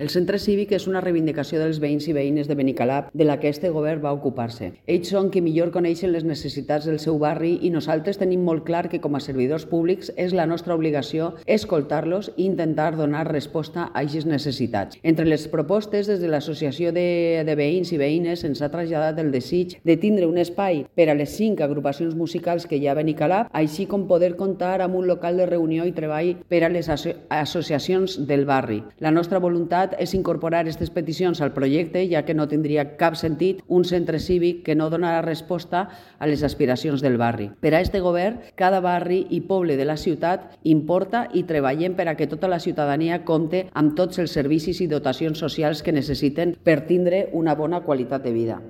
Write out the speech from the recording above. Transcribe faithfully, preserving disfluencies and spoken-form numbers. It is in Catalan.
El centre cívic és una reivindicació dels veïns i veïnes de Benicalap de la que este govern va ocupar-se. Ells són qui millor coneixen les necessitats del seu barri i nosaltres tenim molt clar que com a servidors públics és la nostra obligació escoltar-los i intentar donar resposta a aquestes necessitats. Entre les propostes, des de l'Associació de, de Veïns i Veïnes ens ha traslladat el desig de tindre un espai per a les cinc agrupacions musicals que hi ha a Benicalap, així com poder comptar amb un local de reunió i treball per a les aso associacions del barri. La nostra voluntat és incorporar aquestes peticions al projecte, ja que no tindria cap sentit un centre cívic que no donarà resposta a les aspiracions del barri. Per a este govern, cada barri i poble de la ciutat importa i treballem per a que tota la ciutadania compte amb tots els servicis i dotacions socials que necessiten per tindre una bona qualitat de vida.